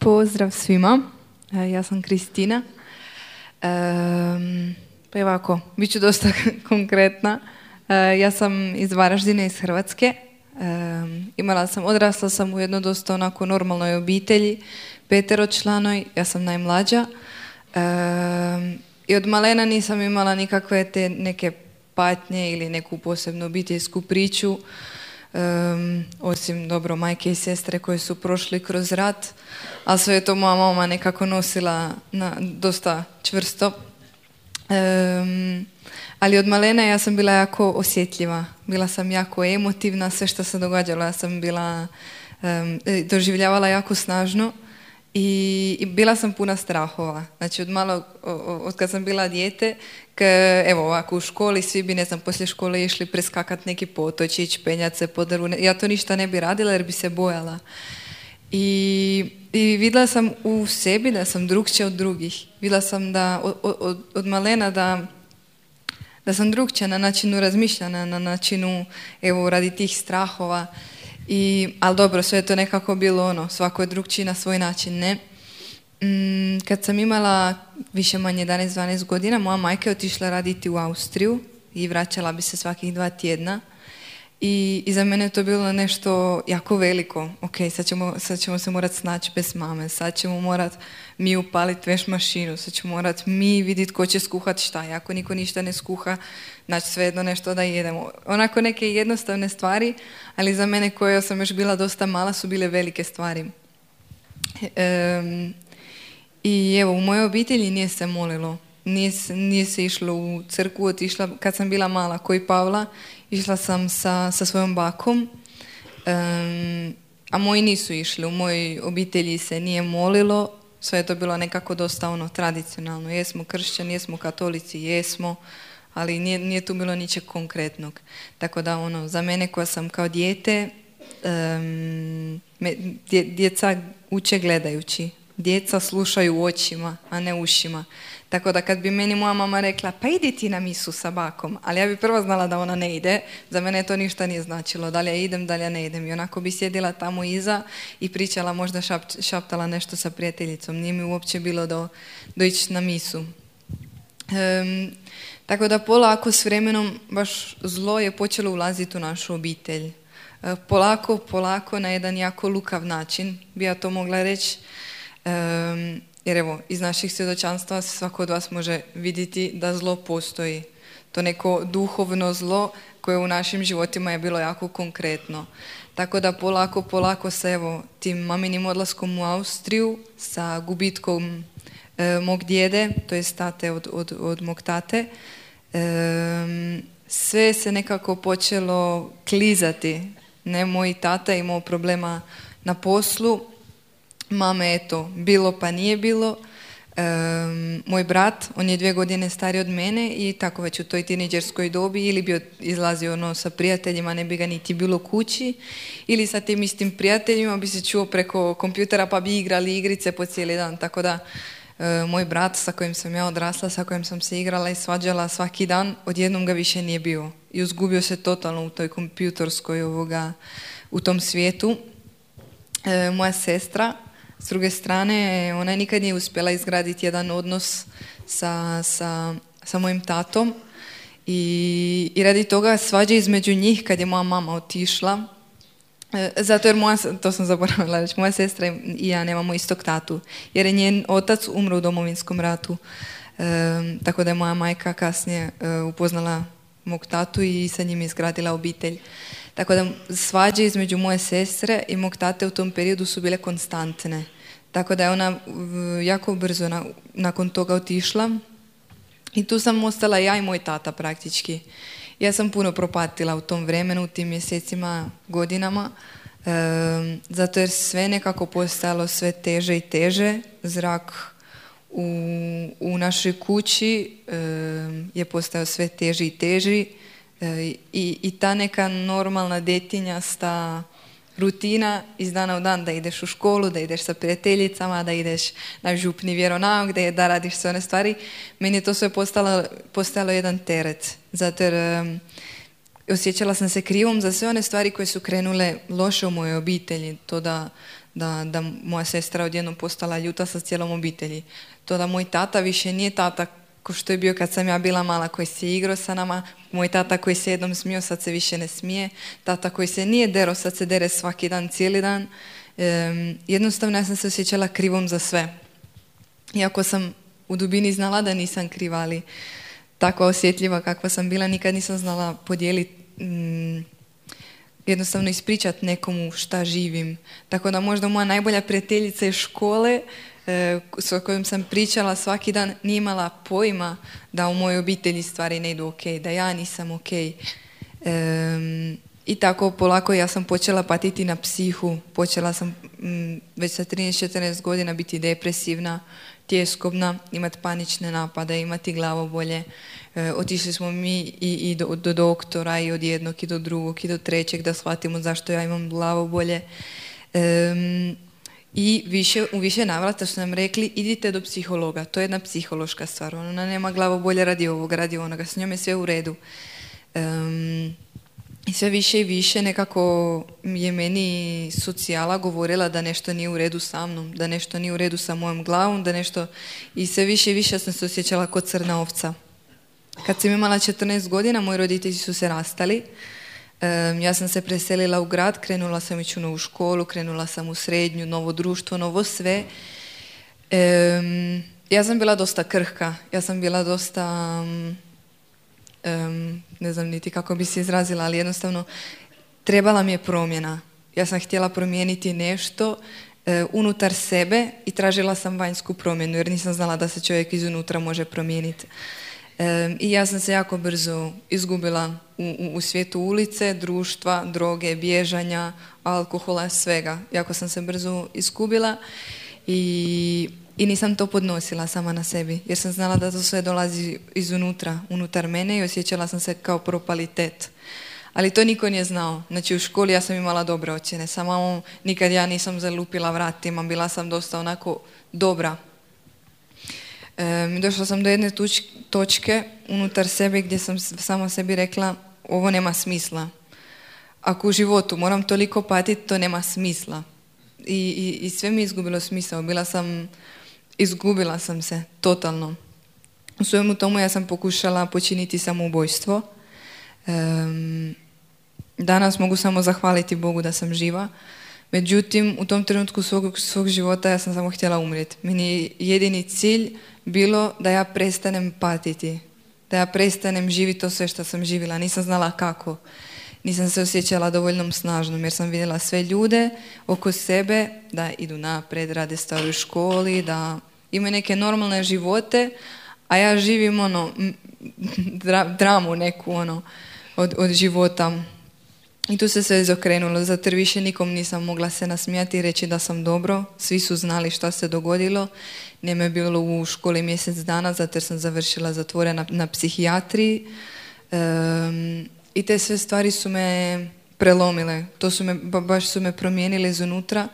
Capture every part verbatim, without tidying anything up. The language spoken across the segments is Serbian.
Pozdrav svima, ja sam Kristina. E, pa je ovako, bit ću dosta konkretna. E, ja sam iz Varaždina, iz Hrvatske. E, imala sam, odrasla sam u jednoj dosta onako normalnoj obitelji, peteročlanoj, ja sam najmlađa. E, I od malena nisam imala nikakve te neke patnje ili neku posebnu obiteljsku priču. Um, osim dobro majke i sestre koje su prošli kroz rat, a sve je to moja mama nekako nosila na, dosta čvrsto. Um, ali od malena ja sam bila jako osjetljiva, bila sam jako emotivna, sve što se događalo ja sam bila um, doživljavala jako snažno i, i bila sam puna strahova. Znači od malog, od kad sam bila dijete, K, evo ovako u školi svi bi, ne znam, poslije škole išli preskakat neki potočić, penjat se po drvu. Ja to ništa ne bi radila jer bi se bojala. I, i vidjela sam u sebi da sam drukčija od drugih. Vidjela sam da od, od, od malena da, da sam drukčija na načinu razmišljanja, na načinu, evo, radi tih strahova. I, ali dobro, sve je to nekako bilo ono, svako je drukčiji na svoj način, ne? Kad sam imala više manje jedanaest dvanaest godina, moja majka je otišla raditi u Austriju i vraćala bi se svakih dva tjedna. I, i za mene je to bilo nešto jako veliko. Ok, sad ćemo, sad ćemo se morati snaći bez mame, sad ćemo morati mi upaliti veš mašinu, sad ćemo morati mi vidjeti ko će skuhati šta. I ako niko ništa ne skuha, znači svejedno nešto da jedemo. Onako neke jednostavne stvari, ali za mene koja sam još bila dosta mala su bile velike stvari. Um, I evo, u mojoj obitelji nije se molilo, nije, nije se išlo u crkvu, otišla, kad sam bila mala, koji Pavla, išla sam sa, sa svojom bakom, um, a moji nisu išli, u mojoj obitelji se nije molilo, sve je to bilo nekako dosta ono tradicionalno, jesmo kršćani, jesmo katolici, jesmo, ali nije, nije tu bilo ničeg konkretnog. Tako da ono, za mene koja sam kao dijete, um, me, dje, djeca uče gledajući. Djeca slušaju očima, a ne ušima. Tako da kad bi meni moja mama rekla, pa idi ti na misu sa bakom, ali ja bi prvo znala da ona ne ide, za mene to ništa nije značilo, da li ja idem, da li ja ne idem. I onako bi sjedila tamo iza i pričala, možda šap, šaptala nešto sa prijateljicom. Nije mi uopće bilo do, do ići na misu. Um, tako da polako s vremenom baš zlo je počelo ulaziti u našu obitelj. Uh, polako, polako, na jedan jako lukav način, bi ja to mogla reći. Um, jer evo, iz naših svjedočanstva svako od vas može vidjeti da zlo postoji. To neko duhovno zlo koje u našim životima je bilo jako konkretno. Tako da polako, polako se evo tim maminim odlaskom u Austriju sa gubitkom e, mog djede, to je tate od, od, od mog tate, e, sve se nekako počelo klizati. Ne, moj tata je imao problema na poslu, mame, eto, bilo pa nije bilo. Um, moj brat, on je dvije godine stariji od mene i tako već u toj tinejdžerskoj dobi ili bi izlazio ono sa prijateljima, ne bi ga niti bilo kući, ili sa tim istim prijateljima bi se čuo preko kompjutera pa bi igrali igrice po cijeli dan. Tako da uh, moj brat sa kojim sam ja odrasla, sa kojim sam se igrala i svađala svaki dan, odjednom ga više nije bio. I uzgubio se totalno u toj kompjutorskoj ovoga, u tom svijetu. Uh, moja sestra, s druge strane, ona nikad nije uspjela izgraditi jedan odnos sa, sa, sa mojim tatom i, i radi toga svađa između njih kad je moja mama otišla. E, zato jer moja, to sam zaboravila reći, moja sestra i ja nemamo istog tatu, jer je njen otac umro u Domovinskom ratu. E, tako da je moja majka kasnije e, upoznala mog tatu i sa njim izgradila obitelj. Tako da svađe između moje sestre i mog tate u tom periodu su bile konstantne. Tako da je ona jako brzo na, nakon toga otišla i tu sam ostala ja i moj tata praktički. Ja sam puno propatila u tom vremenu, u tim mjesecima, godinama, e, zato jer sve nekako postajalo sve teže i teže. Zrak u, u našoj kući e, je postajao sve teži i teži. I, i ta neka normalna detinjasta rutina iz dana u dan da ideš u školu, da ideš sa prijateljicama, da ideš na župni vjeronauk, da, da radiš sve one stvari, meni je to sve postalo, postalo jedan teret. Zato jer um, osjećala sam se krivom za sve one stvari koje su krenule loše u mojoj obitelji. To da, da, da moja sestra odjednom postala ljuta sa cijelom obitelji. To da moj tata više nije tata ko što je bio kad sam ja bila mala, koji se igrao sa nama, moj tata koji se jednom smio, sad se više ne smije, tata koji se nije dero, sad se dere svaki dan, cijeli dan. Um, jednostavno ja sam se osjećala krivom za sve. Iako sam u dubini znala da nisam kriva, ali tako osjetljiva kakva sam bila, nikad nisam znala podijeliti, um, jednostavno ispričati nekomu šta živim. Tako da možda moja najbolja prijateljica iz škole, e, s kojom sam pričala svaki dan, nije imala pojma da u mojoj obitelji stvari ne idu ok, da ja nisam ok. E, I tako polako ja sam počela patiti na psihu, počela sam m, već sa trinaest četrnaest godina biti depresivna, tjeskobna, imati panične napade, imati glavobolje. E, otišli smo mi i, i do, do doktora i od jednog i do drugog i do trećeg da shvatimo zašto ja imam glavobolje. E, I više, u više navrata su nam rekli idite do psihologa, to je jedna psihološka stvar, ona nema glavobolje radi ovoga, radi onoga, s njom je sve u redu. E, I sve više i više nekako je meni socijala govorila da nešto nije u redu sa mnom, da nešto nije u redu sa mojom glavom, da nešto... I sve više i više sam se osjećala kao crna ovca. Kad sam imala četrnaest godina, moji roditelji su se rastali. Um, ja sam se preselila u grad, krenula sam ići u novu školu, krenula sam u srednju, novo društvo, novo sve. Um, ja sam bila dosta krhka, ja sam bila dosta... Um, Um, ne znam niti kako bi se izrazila, ali jednostavno trebala mi je promjena. Ja sam htjela promijeniti nešto uh, unutar sebe i tražila sam vanjsku promjenu jer nisam znala da se čovjek izunutra može promijeniti. Um, I ja sam se jako brzo izgubila u, u, u svijetu ulice, društva, droge, bježanja, alkohola, svega. Jako sam se brzo izgubila i I nisam to podnosila sama na sebi, jer sam znala da to sve dolazi izunutra, unutar mene i osjećala sam se kao propalitet. Ali to niko nije znao. Znači u školi ja sam imala dobre ocjene, samo nikad ja nisam zalupila vratima, bila sam dosta onako dobra. E, došla sam do jedne tuč, točke unutar sebe gdje sam sama sebi rekla ovo nema smisla. Ako u životu moram toliko patiti, to nema smisla. I, i, i sve mi je izgubilo smisao. Bila sam... Izgubila sam se, totalno. U svemu tomu ja sam pokušala počiniti samoubojstvo. Um, danas mogu samo zahvaliti Bogu da sam živa. Međutim, u tom trenutku svog, svog života ja sam samo htjela umrijeti. Meni je jedini cilj bilo da ja prestanem patiti. Da ja prestanem živjeti to sve što sam živjela. Nisam znala kako. Nisam se osjećala dovoljno snažnom jer sam vidjela sve ljude oko sebe da idu napred, rade stvari u školi, da imaju neke normalne živote, a ja živim ono, dra, dramu neku ono, od, od života. I tu se sve izokrenulo, zato jer više nikom nisam mogla se nasmijati i reći da sam dobro. Svi su znali šta se dogodilo. Nije me bilo u školi mjesec dana, zato jer sam završila zatvore na, na psihijatriji. Um, I te sve stvari su me prelomile. To su me, baš su me promijenile izunutra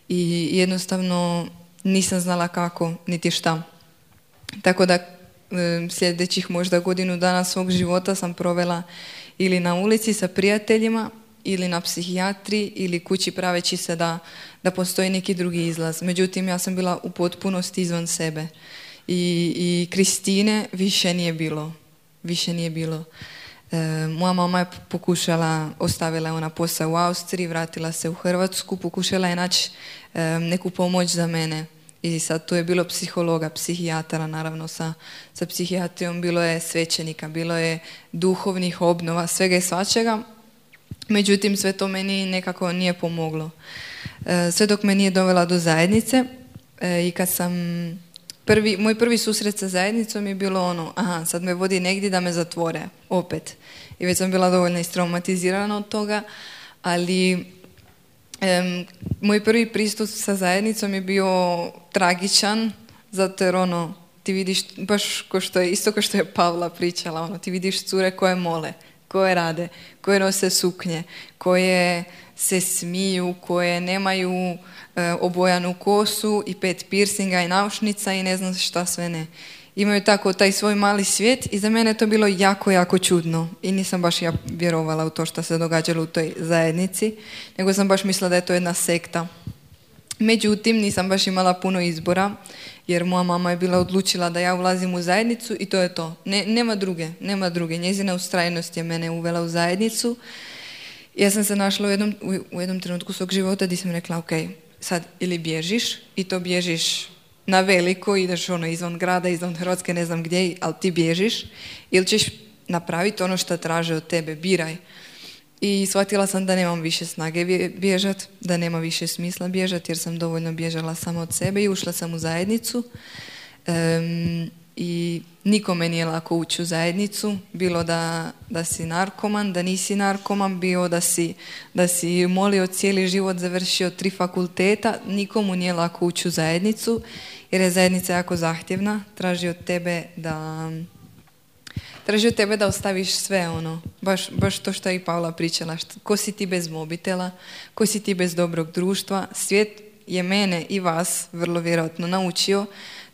i jednostavno nisam znala kako, niti šta. Tako da sljedećih možda godinu dana svog života sam provela ili na ulici sa prijateljima, ili na psihijatriji, ili kući praveći se da, da postoji neki drugi izlaz. Međutim, ja sam bila u potpunosti izvan sebe. I, i Kristine više nije bilo. Više nije bilo. E, moja mama je pokušala, ostavila je ona posao u Austriji, vratila se u Hrvatsku, pokušala je naći e, neku pomoć za mene. I sad tu je bilo psihologa, psihijatara, naravno sa, sa psihijatrijom, bilo je svećenika, bilo je duhovnih obnova, svega i svačega. Međutim, sve to meni nekako nije pomoglo. E, sve dok me nije dovela do zajednice e, i kad sam... Prvi, moj prvi susret sa zajednicom je bilo ono, aha, sad me vodi negdje da me zatvore, opet. I već sam bila dovoljno istraumatizirana od toga, ali em, moj prvi pristup sa zajednicom je bio tragičan, zato jer ono, ti vidiš, baš ko što je, isto kao što je Pavla pričala, ono, ti vidiš cure koje mole, koje rade, koje nose suknje, koje se smiju, koje nemaju e, obojanu kosu i pet piercinga i naušnica i ne znam šta sve ne. Imaju tako taj svoj mali svijet i za mene je to bilo jako, jako čudno i nisam baš ja vjerovala u to što se događalo u toj zajednici, nego sam baš mislila da je to jedna sekta. Međutim, nisam baš imala puno izbora, jer moja mama je bila odlučila da ja ulazim u zajednicu i to je to. Ne, nema druge, nema druge. Njezina ustrajnost je mene uvela u zajednicu. Ja sam se našla u jednom, u jednom trenutku svog života gdje sam rekla, ok, sad ili bježiš i to bježiš na veliko, ideš ono izvan grada, izvan Hrvatske, ne znam gdje, ali ti bježiš, ili ćeš napraviti ono što traže od tebe, biraj. I shvatila sam da nemam više snage bježat, da nema više smisla bježati jer sam dovoljno bježala sama od sebe i ušla sam u zajednicu. Um, I nikome nije lako ući u zajednicu, bilo da, da si narkoman, da nisi narkoman, bilo da si, da si molio cijeli život, završio tri fakulteta, nikomu nije lako ući u zajednicu jer je zajednica jako zahtjevna, traži od tebe da... Traži od tebe da ostaviš sve ono, baš, baš to što je i Pavla pričala, što, ko si ti bez mobitela, ko si ti bez dobrog društva. Svijet je mene i vas vrlo vjerojatno naučio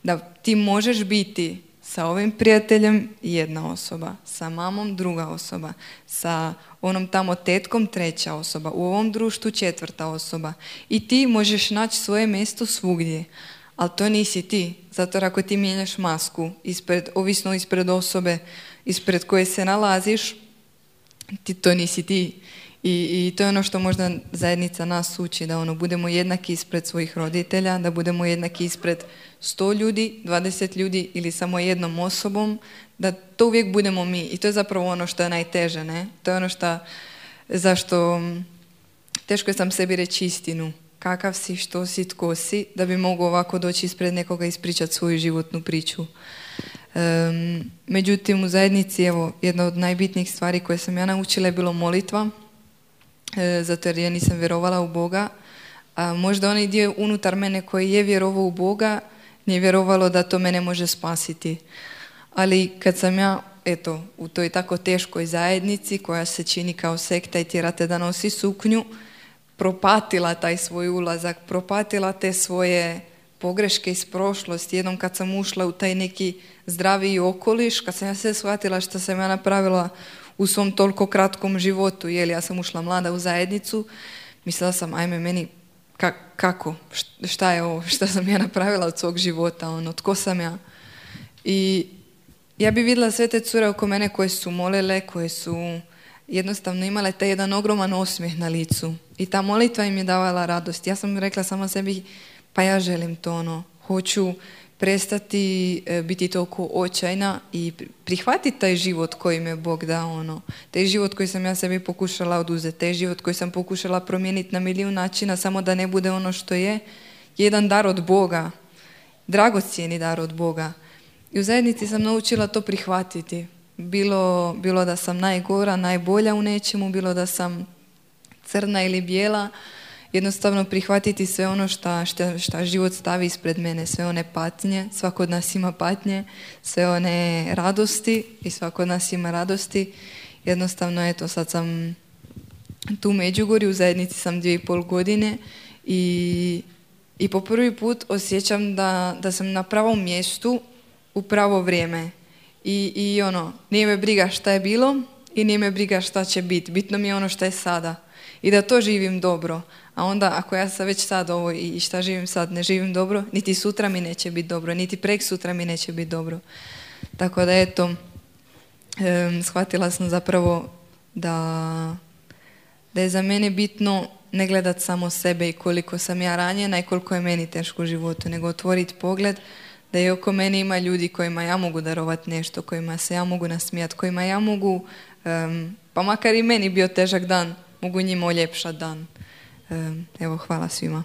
da ti možeš biti sa ovim prijateljem jedna osoba, sa mamom druga osoba, sa onom tamo tetkom treća osoba, u ovom društvu četvrta osoba i ti možeš naći svoje mjesto svugdje. Ali to nisi ti, zato ako ti mijenjaš masku, ispred, ovisno ispred osobe ispred koje se nalaziš, ti, to nisi ti. I, I to je ono što možda zajednica nas uči, da ono, budemo jednaki ispred svojih roditelja, da budemo jednaki ispred sto ljudi, dvadeset ljudi ili samo jednom osobom, da to uvijek budemo mi. I to je zapravo ono što je najteže, ne? To je ono što, zašto teško je sam sebi reći istinu. Kakav si, što si, tko si, da bi mogao ovako doći ispred nekoga i ispričati svoju životnu priču. Um, međutim, u zajednici, evo, jedna od najbitnijih stvari koje sam ja naučila je bilo molitva, e, zato jer ja nisam vjerovala u Boga. A možda onaj dio unutar mene koji je vjerovao u Boga, nije vjerovalo da to mene može spasiti. Ali kad sam ja, eto, u toj tako teškoj zajednici koja se čini kao sekta i tjerate da nosi suknju, propatila taj svoj ulazak, propatila te svoje pogreške iz prošlosti. Jednom kad sam ušla u taj neki zdraviji okoliš, kad sam ja sve shvatila što sam ja napravila u svom toliko kratkom životu, jer ja sam ušla mlada u zajednicu, mislila sam, ajme meni, ka, kako, šta je ovo, šta sam ja napravila od svog života, ono, tko sam ja. I ja bi vidjela sve te cure oko mene koje su molile, koje su jednostavno imale taj jedan ogroman osmijeh na licu. I ta molitva im je davala radost. Ja sam rekla sama sebi, pa ja želim to, ono, hoću prestati e, biti toliko očajna i prihvatiti taj život koji me Bog dao, ono. Taj život koji sam ja sebi pokušala oduzeti, taj život koji sam pokušala promijeniti na milijun načina, samo da ne bude ono što je, jedan dar od Boga, dragocjeni dar od Boga. I u zajednici sam naučila to prihvatiti. Bilo, bilo da sam najgora, najbolja u nečemu, bilo da sam crna ili bijela, jednostavno prihvatiti sve ono šta, šta, šta život stavi ispred mene, sve one patnje, svako od nas ima patnje, sve one radosti i svako od nas ima radosti. Jednostavno, eto, sad sam tu u Međugorju, u zajednici sam dvije i pol godine i, i po prvi put osjećam da, da sam na pravom mjestu u pravo vrijeme. I, i ono, nije me briga šta je bilo i nije me briga šta će biti. Bitno mi je ono što je sada. I da to živim dobro. A onda ako ja sam već sad ovo i šta živim sad ne živim dobro, niti sutra mi neće biti dobro, niti prek sutra mi neće biti dobro. Tako da eto, um, shvatila sam zapravo da, da je za mene bitno ne gledat samo sebe i koliko sam ja ranjena i koliko je meni teško u životu, nego otvoriti pogled da je oko mene ima ljudi kojima ja mogu darovati nešto, kojima se ja mogu nasmijati, kojima ja mogu, um, pa makar i meni bio težak dan, mogu njima uljepšati dan. Um, evo, hvala svima.